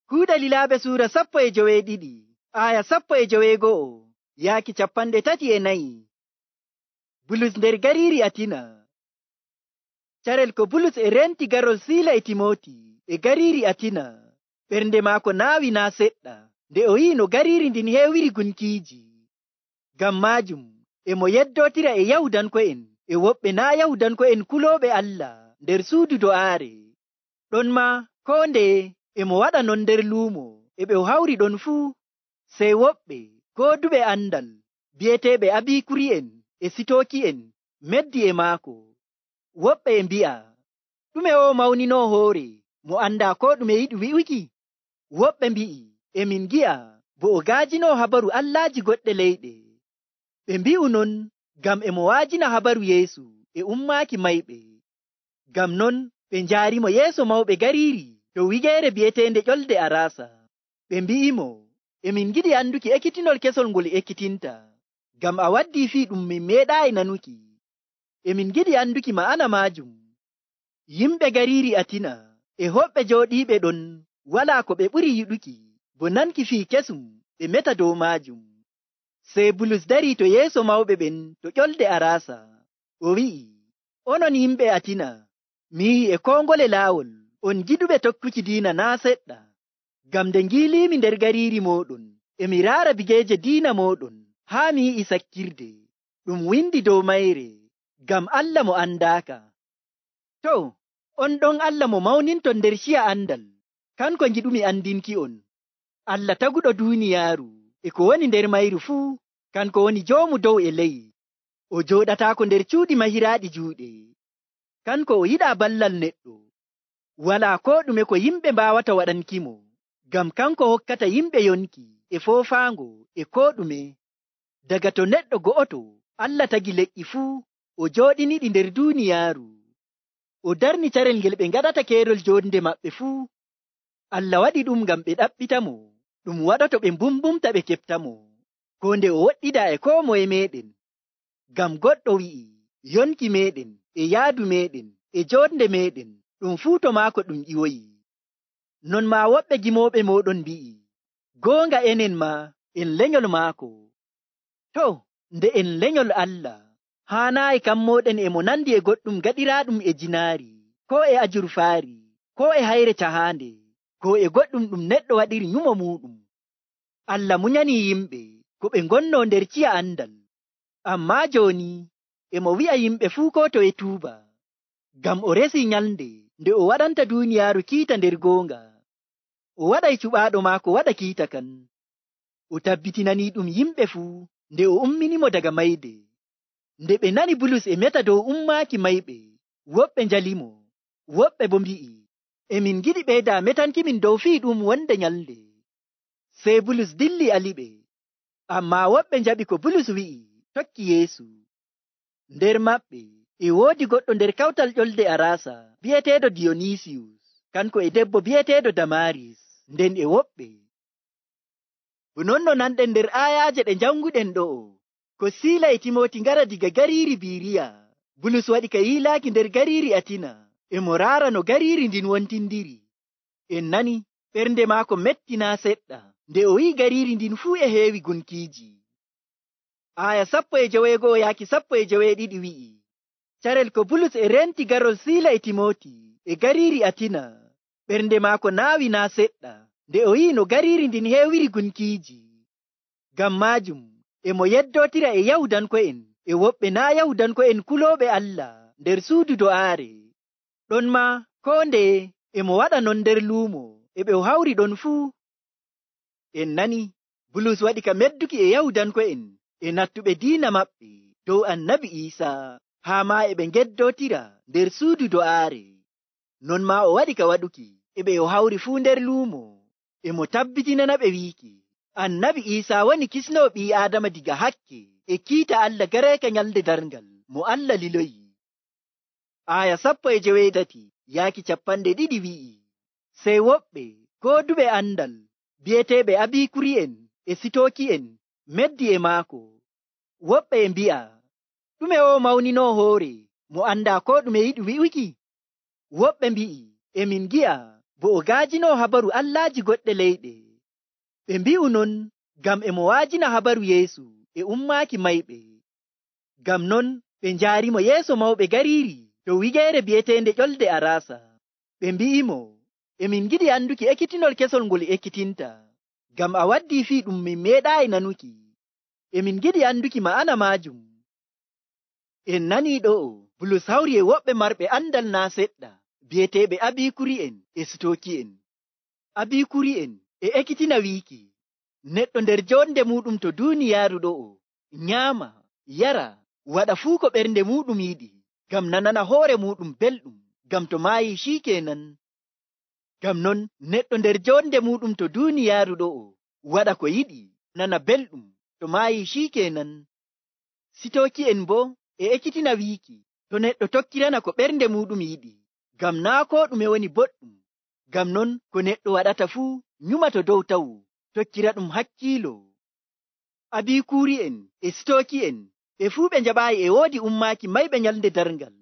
Kuuɗe Lilaaɓe suura 12 aya 12 yaaki 34. Bulus nder gariiri Atina. Carel ko Bulus e renti garol Siila e Timoti e gariiri Atina, ɓernde maako naawi naa seɗɗa nde o yi'i no gariiri ndin heewiri gunkiiji. Ngam maajum e mo yeddootira e Yahudanko'en e woɓɓe naa' Yahudanko'en kulooɓe Allah nder suudu do'aare. Ɗonmaa koo ndeye e mo waɗa non nder luumo e ɓe o hawri ɗon fuu. Sey woɓɓe gooduɓe andal bi'eteeɓe Abiikuri'en e Sitooki'en meddi e maako. Woɓɓe e mbi'a, ɗume o mawninoo hoore mo andaa koo ɗume yiɗi wi'uki? Woɓɓe mbi'i, e min ngi'a bo o gaajinoo habaru allaaji goɗɗe leyɗe. Ɓe mbi'u non ngam e mo waajina habaru Yeesu e ummaaki mayɓe. Ngam non ɓe njaarimo yeeso mawɓe gariiri to wigeere bi'eteende Ƴolde Araasa. Ɓe mbi'imo, e min ngiɗi anduki ekkitinol kesol ngol ekkitinta, ngam a waddii fii ɗum min meeɗaayi nanuki. E min ngiɗi anduki ma'ana maajum. Yimɓe gariiri Atina e hoɓɓe jooɗiiɓe ɗon walaa ko ɓe ɓuri yiɗuki bo nanki fii kesum ɓe meta dow maajum. Sey Bulus darii to yeeso mawɓe ɓen to Ƴolde Araasa. O wi'i, onon yimɓe Atina, mi yi'i e koo ngole laawol on giɗuɓe tokkuki diina naa' seɗɗa. Ngam nde ngiiliimi nder gariiri mooɗon e mi raara bigeeje diina mooɗon haa mi yi'i sakkirde ɗum windi dow mayre, ngam Allah mo andaaka. To, on ɗon Allah mo mawninton nder ciya andal, kanko ngiɗumi andinki'on. Allah taguɗo duuniyaaru e ko woni nder mayru fuu, kanko woni joomu dow e ley. O jooɗataako nder cuuɗi mahiraaɗi juuɗe. Kanko o yiɗaa ballal neɗɗo. Walaa koo ɗume ko yimɓe mbaawata waɗankimo, ngam kanko hokkata yimɓe yonki e foofaango e koo ɗume. Daga to neɗɗo go'oto Allah tagi leƴƴi fuu, o jooɗiniɗi nder duuniyaaru. O darni carel ngel ɓe ngaɗata keerol joonde maɓɓe fuu. Allah waɗi ɗum ngam ɓe ɗaɓɓitamo, ɗum waɗoto ɓe mbumbumta ɓe keɓtamo, koo nde o woɗɗidaa e koo moye meeɗen. Ngam goɗɗo wi'i, yonki meeɗen e yaadu meeɗen e joonde meeɗen ɗum fuu to maako ɗum ƴiwoyi. Non maa woɓɓe gimooɓe mooɗon mbi'i, goonga enen maa en lenyol maako. To, nde en lenyol Allah, haanaayi kammooɗen e mo nandi e goɗɗum gaɗiraaɗum e jinaari, koo e ajurfaari, koo e hayre cahaande, koo e goɗɗum ɗum neɗɗo waɗiri nyumo muuɗum. Allah munyanii yimɓe ko ɓe ngonnoo nder ciya andal. Ammaa jooni e mo wi'a yimɓe fuu koo to e tuuba, ngam o resii nyalnde nde o waɗanta duuniyaaru kiita nder goonga. O waɗay cuɓaaɗo maako waɗa kiita kan. O tabbitinanii ɗum yimɓe fuu nde o umminimo daga mayde. Nde ɓe nani Bulus e meta dow ummaaki mayɓe, woɓɓe njalimo, woɓɓe bo mbi'i, e min giɗi ɓeydaa metankimin dow fii ɗum wonde nyalnde. Sey Bulus dilli aliɓe. Ammaa woɓɓe njaɓi ko Bulus wi'i, tokki Yeesu. Nder maɓɓe e woodi goɗɗo nder kawtal Ƴolde Araasa bi'eteeɗo Diyonisiyus, kanko e debbo bi'eteeɗo Damaaris, nden e woɓɓe. Non no nanɗen nder aayaaje ɗe janguɗen ɗo'o, ko Siila e Timoti ngara diga gariiri Biriya, Bulus waɗi ka yiilaaki nder gariiri Atina, e mo raara no gariiri ndin wontindiri. En nani ɓernde maako mettinaa seɗɗa nde o yi'i gariiri ndin fuu e heewi gunkiiji. Aya 11 yaaki 12 wi'i, carel ko Bulus e renti garol Siila e Timoti e gariiri Atina, ɓernde maako naawi naa seɗɗa nde o yi'i no gariiri ndin heewiri gunkiiji. Ngam maajum e mo yeddootira e Yahudanko'en e woɓɓe naa' Yahudanko'en kulooɓe Allah nder suudu do'aare. Ɗonmaa koo ndeye e mo waɗa non nder luumo e ɓe o hawri ɗon fuu. En nani Bulus waɗi ka medduki e Yahudanko'en e nattuɓe diina maɓɓe dow Annabi Iisaa, haa maa e ɓe ngeddootira nder suudu do'aare. Non maa o waɗi ka waɗuki e ɓe o hawri fuu nder luumo e mo tabbitinana ɓe wiiki Annabi Iisaa woni kisnoo ɓii Aadama diga hakke e kiita Allah gareeka nyalde darngal mo Allah liloyi. Aya 13 yaaki 20 wi'i, sey woɓɓe gooduɓe andal bi'eteeɓe Abiikuri'en e Sitooki'en meddi e maako. Woɓɓe e mbi'a, ɗume o mawninoo hoore mo andaa koo ɗume yiɗi wi'uki? Woɓɓe mbi'i, e min ngi'a bo o gaajino habaru allaaji goɗɗe leyɗe. Ɓe mbi'u non ngam e mo waajina habaru Yeesu e ummaaki mayɓe. Ngam non ɓe njaarimo yeeso mawɓe gariiri to wigeere bi'eteende ƴolde Arasa. Ɓe mbi'imo, emin giɗi anduki ekkitinol kesol ngol ekkitinta, ngam a waddii fii ɗum min meeɗaayi nanuki. Emin giɗi anduki ma'ana maajum. En nanii ɗo'o Bulus hawri e woɓɓe marɓe andal naa seɗɗa bi'eteeɓe Abiikuri'en e Sitooki'en. Abiikuri'en e ekkitina wiiki neɗɗo nder jonde muɗum to duuniyaaru ɗo'o nyaama, yara, waɗa fuu ko ɓernde muɗum yiɗi, ngam nanana hoore muɗum belɗum, ngam to maayii ciikeenan. Ngam non neɗɗo nder jonde muɗum to duuniyaaru ɗo'o waɗa ko yiɗi, nana belɗum, to maayii ciikeenan. Sitooki'en boo e ekkitina wiiki to neɗɗo tokkirana ko ɓernde muɗum yiɗi, ngam naa koo ɗume woni boɗɗum. Ngam non ko neɗɗo waɗata fuu nyumato dow tawu, tokkira ɗum hakkiilo. Abiikuri'en e Sitooki'en ɓe fuu ɓe njaɓaayi e woodi ummaaki mayɓe nyalnde darngal.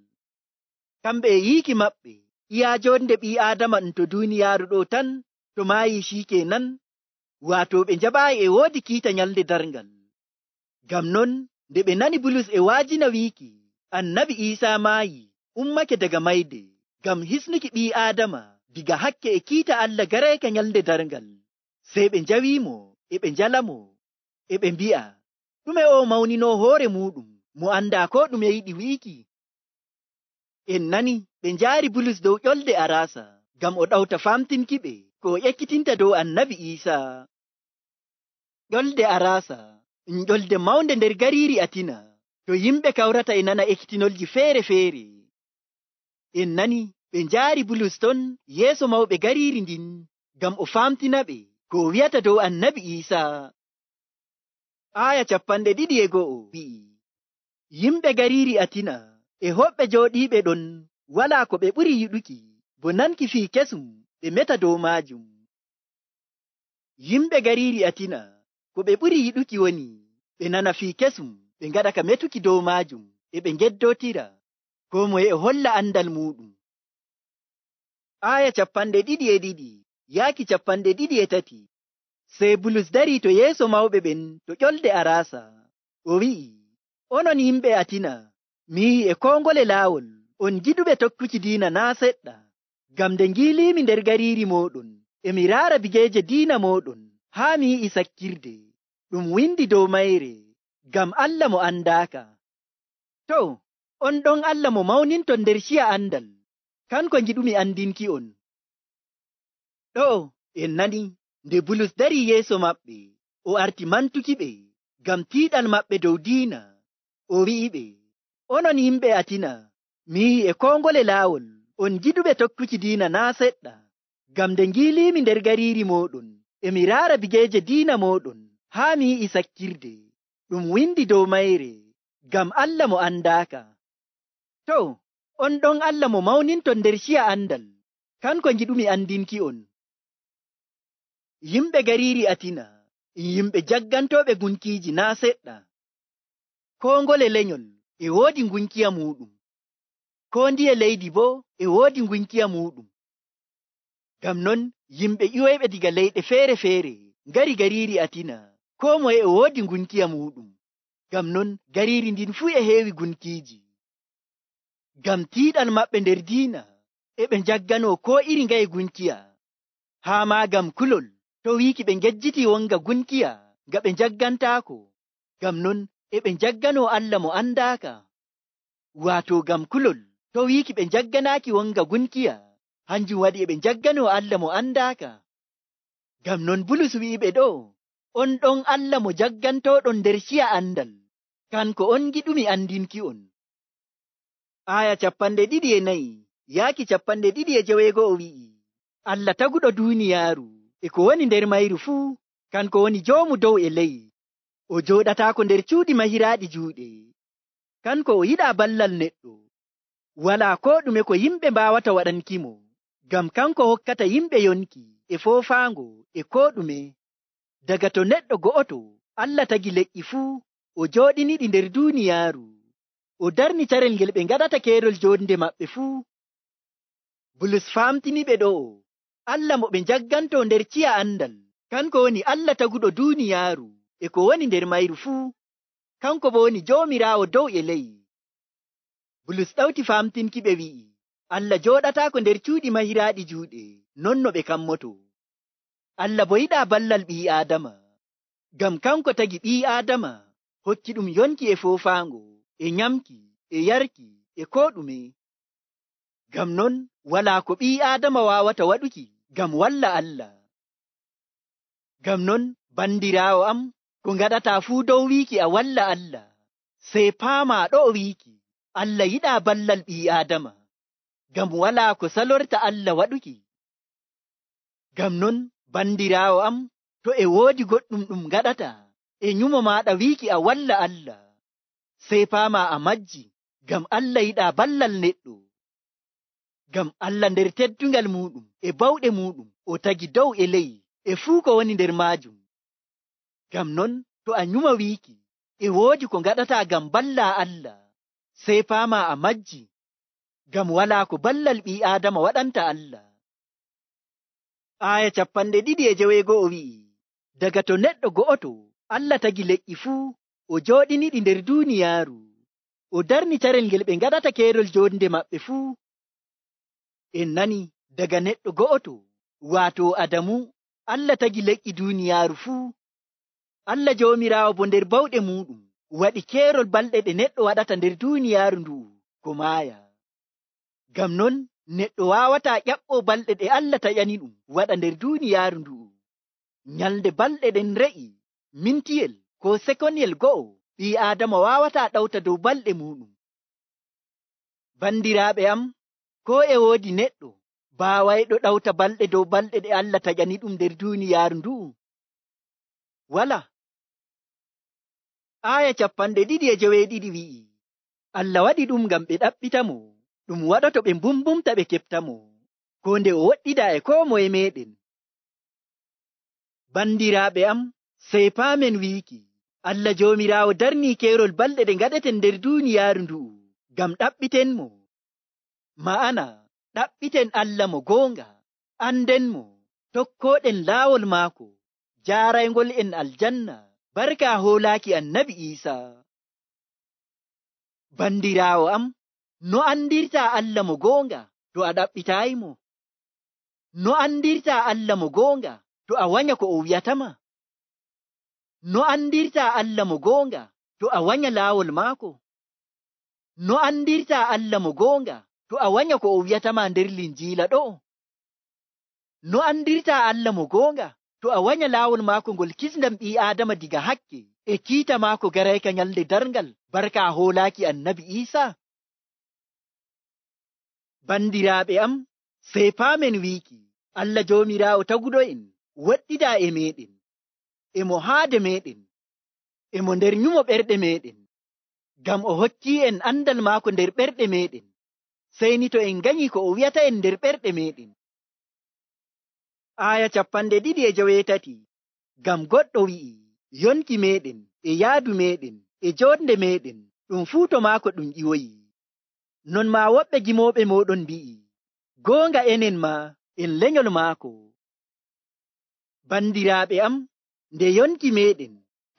Kamɓe e yiiki maɓɓe iyaa jonde ɓii Aadama ɗum to duuniyaaru ɗo tan to maayii ciikeenan, waato ɓe njaɓaayi e woodi kiita nyalnde darngal. Ngam non nde ɓe nani Bulus e waajina wiiki Annabi Iisaa maayi ummake daga mayde ngam hisnuki ɓii Aadama diga hakke e kiita Allah gareeke nyalnde darngal, sey ɓe njawiimo e ɓe njalamo e ɓe mbi'a, ɗume o mawninoo hoore muɗum mo andaa ko ɗume yiɗi wiiki? En nani ɓe njaari Bulus dow ƴolde Arasa ngam o ɗawta famtinkiɓe ko o ekkitinta dow Annabi Iisaa. Ƴolde Arasa ƴolde mawnde nder gariiri Atina, to yimɓe kawrata e nana ekkitinolji feere-feere. En nani ɓe njaari Bulus ton yeeso mawɓe gariiri ndin ngam o famtinaɓe ko o wi'ata dow Annabi Iisaa. Aaya 21 wi'i, yimɓe gariiri Atina e hoɓɓe jooɗiiɓe ɗon walaa ko ɓe ɓuri yiɗuki bo nanki fii kesum ɓe meta dow maajum. Yimɓe gariiri Atina ko ɓe ɓuri yiɗuki woni ɓe nana fii kesum ɓe ngaɗa ka metuki dow maajum e ɓe ngeddootira, koo moye e holla andal muɗum. Aaya 22 yaaki 23. Sey Bulus darii to yeeso mawɓe ɓen to ƴolde Arasa, o wi'i, onon yimɓe Atina, mi yi'i e koo ngole laawol on giɗuɓe tokkuki diina naa seɗɗa, ngam nde ngiiliimi nder gariiri mooɗon e mi raara bigeeje diina mooɗon haa mi yi'i sakkirde ɗum windi dow mayre, ngam Allah mo andaaka. To, on ɗon Allah mo mawninton nder ciya andal, kanko ngiɗumi andinki'on. Ɗo'o en nani nde Bulus darii yeeso maɓɓe, o arti mantukiɓe ngam tiiɗal maɓɓe dow diina. O wi'iɓe, onon yimɓe Atina, mi yi'i e koo ngole laawol on giɗuɓe tokkuki diina naa seɗɗa, ngam nde ngiiliimi nder gariiri mooɗon e mi raara bigeeje diina mooɗon haa mi yi'i sakkirde ɗum windi dow mayre, ngam Allah mo andaaka. To, on ɗon Allah mo mawninton nder ciya andal, kanko ngiɗumi andinki'on. Yimɓe gariiri Atina yimɓe jaggantooɓe gunkiiji naa seɗɗa. Koo ngole lenyol e woodi ngunkiya muɗum, koo ndiye leydi boo e woodi ngunkiya muɗum. Ngam non yimɓe ƴiwoyɓe diga leyɗe feere-feere ngari gariiri Atina, koo moye e woodi ngunkiya muɗum. Ngam non gariiri ndin fuu e heewi gunkiiji. Ngam tiiɗal maɓɓe nder diina e ɓe njagganoo koo iri ngaye gunkiya, haa maa ngam kulol to wiiki ɓe ngejjitii wonga gunkiya nga ɓe njaggantaako. Ngam non e ɓe njagganoo Allah mo andaaka, waato ngam kulol to wiiki ɓe njagganaaki wonga gunkiya, hanjum waɗi e ɓe njagganoo Allah mo andaaka. Ngam non Bulus wi'iɓe ɗo, on ɗon Allah mo jaggantooɗon nder ciya andal, kanko on giɗumi andinki'on. Aaya 24 yaaki 25 wi'i, Allah taguɗo duuniyaaru e ko woni nder mayru fuu, kanko woni joomu dow e ley. O jooɗataako nder cuuɗi mahiraaɗi juuɗe. Kanko o yiɗaa ballal neɗɗo. Walaa koo ɗume ko yimɓe mbaawata waɗankimo, ngam kanko hokkata yimɓe yonki e foofaango e koo ɗume. Daga to neɗɗo go'oto Allah tagi leƴƴi fuu, o jooɗiniɗi nder duuniyaaru. O darni carel ngel ɓe ngaɗata keerol jonde maɓɓe fuu. Bulus famtiniɓe ɗo'o Allah mo ɓe njagganto nder ciya andal, kanko woni Allah taguɗo duuniyaaru e ko woni nder mayru fuu, kanko bo woni Joomiraawo dow e ley. Bulus ɗawti famtinki ɓe wi'i, Allah jooɗataako nder cuuɗi mahiraaɗi juuɗe, non no ɓe kammoto. Allah bo yiɗaa ballal ɓii Aadama, ngam kanko tagi ɓii Aadama, hokki ɗum yonki e foofaango, e nyamki, e yarki, e koo ɗume. Ngam non walaa ko ɓii Aadama waawata waɗuki ngam walla Allah. Ngam non bandiraawo am, ko ngaɗataa fuu dow wiiki a walla Allah, sey paamaa ɗo o wiiki Allah yiɗaa ballal ɓii Aadama, ngam walaa ko salorta Allah waɗuki. Ngam non bandiraawo am, to e woodi goɗɗum ɗum ngaɗata e nyumo maaɗa wiiki a walla Allah, sey paamaa a majji, ngam Allah yiɗaa ballal neɗɗo. Ngam Allah nder teddungal muuɗum e bawɗe muuɗum o tagi dow e ley e fuu ko woni nder maajum. Ngam non to a nyuma wiiki e woodi ko ngaɗataa ngam ballaa Allah, sey paamaa a majji, ngam walaa ko ballal ɓii Aadama waɗanta Allah. Aya 2:9 wi'i, daga to neɗɗo go'oto Allah tagi leƴƴi fuu, o jooɗiniɗi nder duuniyaaru, o darni carel ngel ɓe ngaɗata keerol joonde maɓɓe fuu. En nani daga neɗɗo go'oto, waato Adamu, Allah tagi leƴƴi duuniyaaru fuu. Allah Joomiraawo bo nder bawɗe muuɗum waɗi keerol balɗe ɗe neɗɗo waɗata nder duuniyaaru ndu'u ko maaya. Ngam non neɗɗo waawataa ƴaɓɓoo balɗe ɗe Allah taƴani ɗum waɗa nder duuniyaaru ndu'u. Nyalnde balɗe ɗen re'i mintiyel ko sekonyel go'o, ɓii Aadama waawataa ɗawta dow balɗe muuɗum. Bandiraaɓe am, koo e woodi neɗɗo baawayɗo ɗawta balɗe dow balɗe ɗe Allah taƴani ɗum nder duuniyaaru ndu'u? Wala. Aya 2:9 wi'i, Allah waɗi ɗum ngam ɓe ɗaɓɓitamo, ɗum waɗoto ɓe mbumbumta ɓe keɓtamo, ko nde o woɗɗida e koo moye meɗen. Bandiraaɓe am, sey paamen wiiki, Allah Joomiraawo darnii keerol balɗe ɗe ngaɗeten nder duuniyaaru ndu'u ngam ɗaɓɓitenmo. Ma'ana, ɗaɓɓiten Allah mo goonga, andenmo, tokkooɗen laawol maako, jaaraygol en aljanna, barka hoolaaki Annabi Iisaa. Bandiraawo am, no andirtaa Allah mo goonga to a ɗaɓɓitaayimo? No andirtaa Allah mo goonga to a wanya ko o wi'atama? No andirtaa Allah mo goonga to a wanya laawol maako? No andirtaa Allah mo goonga to a wanya ko o wi'atama nder Linjiila ɗo? No andirtaa Allah mo goonga to a wanya laawol maako ngol kisndam ɓii Aadama diga hakke e kiita maako garayka nyalde darngal, barka hoolaaki Annabi Iisaa? Bandiraaɓe am, sey paamen wiiki, Allah Joomiraawo taguɗo en woɗɗidaa e meɗen, e mo haade meɗen, e mo nder nyumo ɓerɗe meɗen, ngam o hokkii en andal maako nder ɓerɗe meɗen, sey ni to en nganyii ko o wi'ata en nder ɓerɗe meɗen. Aya 2:8, ngam goɗɗo wi'i, yonki meɗen, e yaadu meɗen, e joonde meɗen, ɗum fuu to maako ɗum ƴiwoyi. Non maa woɓɓe gimooɓe mooɗon mbi'i, goonga enen ma en lenyol maako. Bandiraaɓe am, nde yonki meɗen,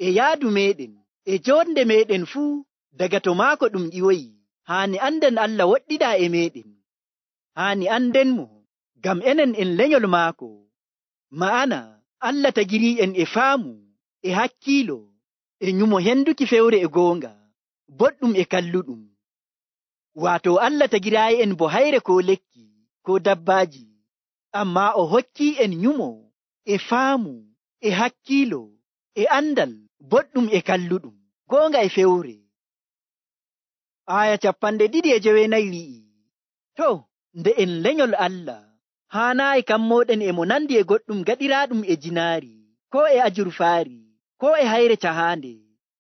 e yaadu meɗen, e joonde meɗen fuu daga to maako ɗum ƴiwoyi, haani anden Allah woɗɗidaa e meɗen. Haani andenmo, ngam enen en lenyol maako. Ma'ana, Allah tagirii en e faamu, e hakkiilo, e nyumo henduki fewre e goonga, boɗɗum e kalluɗum. Waato Allah tagiraayi en bo hayre ko lekki, ko dabbaaji, ammaa o hokkii en nyumo, e faamu, e hakkiilo, e andal, boɗɗum e kalluɗum, goonga e fewre. Aya 2:9 wi'i, to, nde en lenyol Allah, haanaayi kammooɗen e mo nandi e goɗɗum gaɗiraaɗum e jinaari, ko e ajurfaari, ko e hayre cahaande,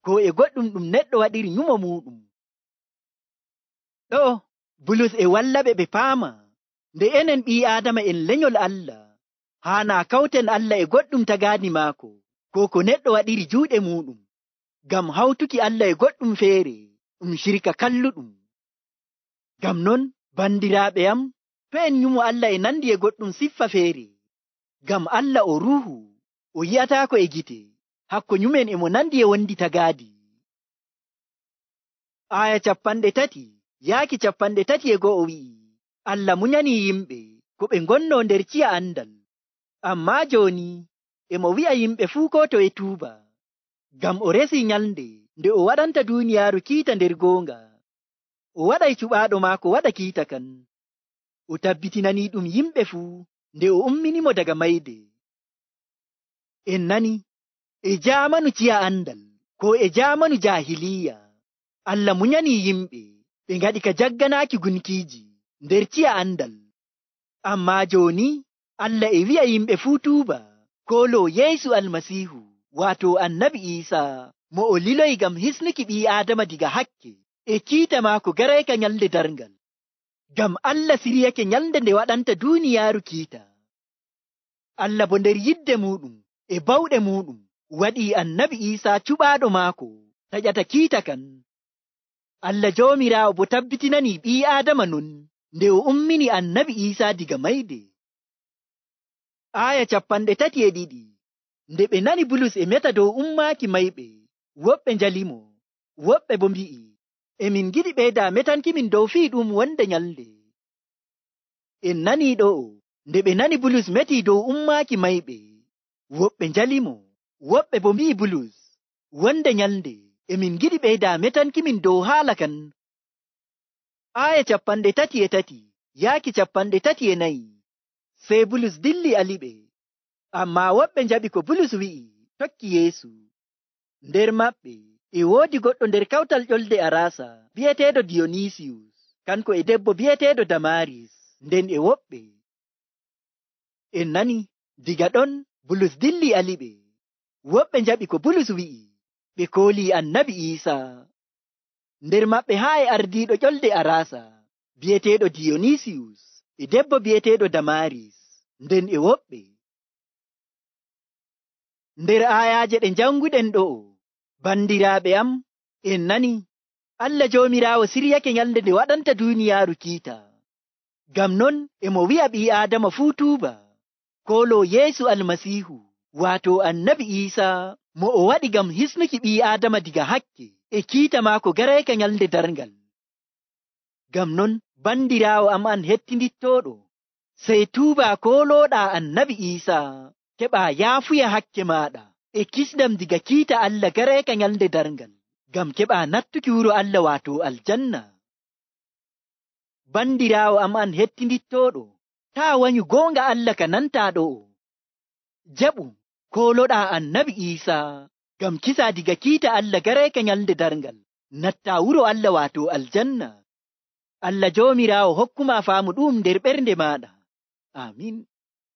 ko e goɗɗum ɗum neɗɗo waɗiri nyumo muuɗum. Ɗo, Bulus e wallaɓe ɓe paama, nde enen ɓii Aadama en lenyol Allah, haanaa kawten Allah e goɗɗum tagaani maako, ko neɗɗo waɗiri juuɗe muuɗum, ngam hawtuki Allah e goɗɗum feere, ɗum shirka kalluɗum. Ngam non, bandiraaɓe am, to en nyumo Allah e nandi e goɗɗum siffa feere, ngam Allah o ruuhu, o yi'ataako e gite, hakko nyumen e mo nandi e wondi tagaadi. Aya 30 wi'i, Allah munyani yimɓe ko ɓe ngonno nder ciya andal. Ammaa jooni e mo wi'a yimɓe fuu ko to e tuuba, ngam o resi nyalnde nde o waɗanta duuniyaaru kiita nder goonga. O waɗay cuɓaaɗo maako waɗa kiita kan. O tabbitinanii ɗum yimɓe fuu nde o umminimo daga mayde. En nani, e jaamanu ciya andal ko e jaamanu jaahiliya, Allah munyanii yimɓe ɓe ngaɗi ka jagganaaki gunkiiji nder ciya andal. Ammaa jooni Allah e wi'a yimɓe fuu tuuba koloo Yeesu Almasiihu, waato Annabi Iisaa, mo o liloyi ngam hisnuki ɓii Aadama diga hakke e kiita maako garayka nyalnde darngal. Ngam Allah siryake nyalnde nde waɗanta duuniyaaru kiita. Allah bo nder yidde muuɗum e bawɗe muuɗum waɗii Annabi Iisaa cuɓaaɗo maako taƴata kiita kan. Allah Joomiraawo bo tabbitinanii ɓii Aadama non nde o ummini Annabi Iisaa diga mayde. Aya 32. Nde ɓe nani Bulus e meta dow ummaaki mayɓe, woɓɓe njalimo, woɓɓe bo mbi'i, emin giɗi ɓeyda metankimin dow fii ɗum wonde nyalnde. En nanii ɗo'o, nde ɓe nani Bulus metii dow ummaaki mayɓe, woɓɓe njalimo, woɓɓe bo mbi'i Bulus, wonde nyalnde emin giɗi ɓeyda metankimin dow haala kan. Aya 33 Sey Bulus dilli aliɓe, ammaa woɓɓe njaɓi ko Bulus wi'i, tokki Yeesu. Nder maɓɓe e woodi goɗɗo nder kawtal ƴolde Araasa bi'eteeɗo Diyonisiyus, kanko e debbo bi'eteeɗo Damaris, nden e woɓɓe. En nani, diga ɗon Bulus dilli aliɓe. Woɓɓe njaɓi ko Bulus wi'i, ɓe koolii Annabi Iisaa. Nder maɓɓe haa e ardiiɗo ƴolde Araasa bi'eteeɗo Diyonisiyus e debbo bi'eteeɗo Damaris, nden e woɓɓe. Nder aayaaje ɗe janguɗen ɗo'o, bandiraaɓe am, en nani, Allah Joomiraawo siryake nyalnde nde waɗanta duuniyaaru kiita. Ngam non e mo wi'a ɓii Aadama fuu tuuba, koloo Yeesu Almasiihu, waato Annabi Iisaa, mo o waɗi ngam hisnuki ɓii Aadama diga hakke e kiita maako garayka nyalnde darngal. Ngam non, bandiraawo am an hettindittooɗo, sey tuuba kolooɗaa Annabi Iisaa, keɓaa yaafuya hakke maaɗa e kisdam diga kiita Allah garayka nyalnde darngal, ngam keɓaa nattuki wuro Allah waato aljanna. Bandiraawo am an hettindittooɗo, taa wanyu goonga Allah ka nantaa ɗo'o. Jaɓu koloɗaa Annabi Iisaa ngam kisa diga kiita Allah garayka nyalnde darngal, nattaa wuro Allah waato aljanna. Allah Joomiraawo hokkuma faamu ɗum nder ɓernde maaɗa. Amin.